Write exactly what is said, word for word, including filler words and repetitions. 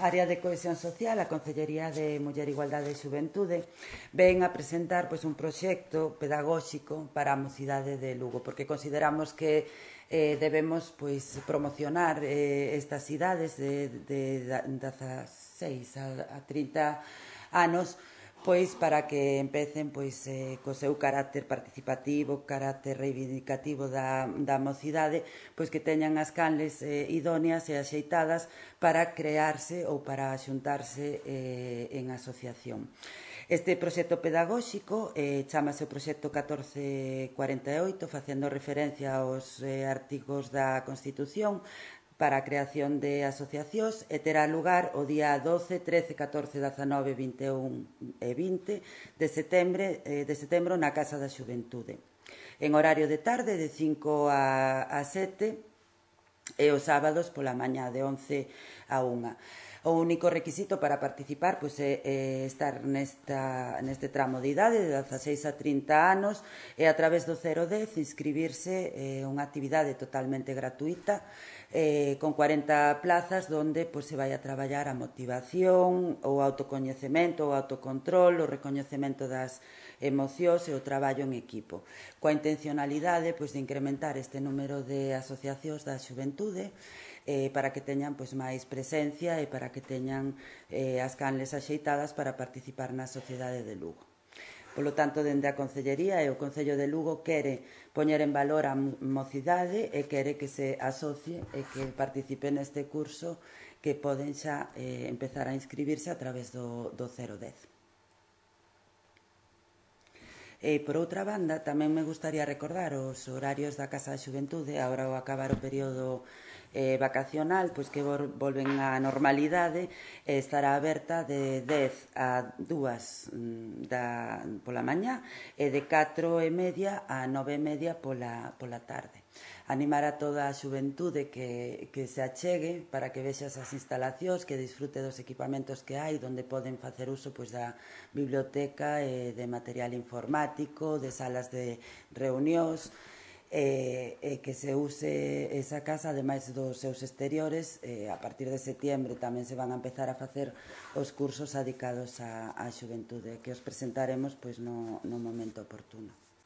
Área de Cohesión Social, a Concellería de Muller, Igualdade e Xuventude, ven a presentar pois, un proxecto pedagóxico para a mocidade de Lugo, porque consideramos que eh, debemos pois, promocionar eh, estas idades de, de, de dezaseis a trinta anos, pois para que empecen pois eh, co seu carácter participativo, carácter reivindicativo da, da mocidade, pois que teñan as canles eh, idóneas e axeitadas para crearse ou para xuntarse eh, en asociación. Este proxecto pedagóxico eh, chamase o proxecto catorce cuarenta e oito, facendo referencia aos eh, artigos da Constitución, para a creación de asociacións e terá lugar o día doce, trece, catorce, dezanove, vinte e un e vinte de setembro, eh, de setembro na Casa da Xuventude. En horario de tarde, de cinco a sete, e os sábados pola mañá de once a unha. O único requisito para participar pois, é, é estar nesta, neste tramo de idade de dezaseis a trinta anos e a través do cero dez inscribirse eh, unha actividade totalmente gratuita eh, con cuarenta plazas donde pois, se vai a traballar a motivación, o autocoñecemento, o autocontrol, o recoñecemento das emocións e o traballo en equipo, coa intencionalidade pois, de incrementar este número de asociacións da xuventude eh, para que teñan pois, máis presencia e para que teñan eh, as canles axeitadas para participar na sociedade de Lugo. Polo tanto, dende a Concellería e o Concello de Lugo quere poñer en valor a mocidade e quere que se asocie e que participe neste curso que poden xa eh, empezar a inscribirse a través do, do cero dez. E, por outra banda, tamén me gustaría recordar os horarios da Casa da Xuventude, agora ao acabar o período eh, vacacional, pois que volven á normalidade, e estará aberta de dez a dúas da, pola mañá e de catro e media a nove e media pola, pola tarde. Animar a toda a xuventude que, que se achegue para que vexa as instalacións, que disfrute dos equipamentos que hai, onde poden facer uso pois, da biblioteca e de material informático, de salas de reunións, e, e que se use esa casa, ademais dos seus exteriores. E a partir de setiembre tamén se van a empezar a facer os cursos dedicados á, á xuventude, que os presentaremos pois, no, no momento oportuno.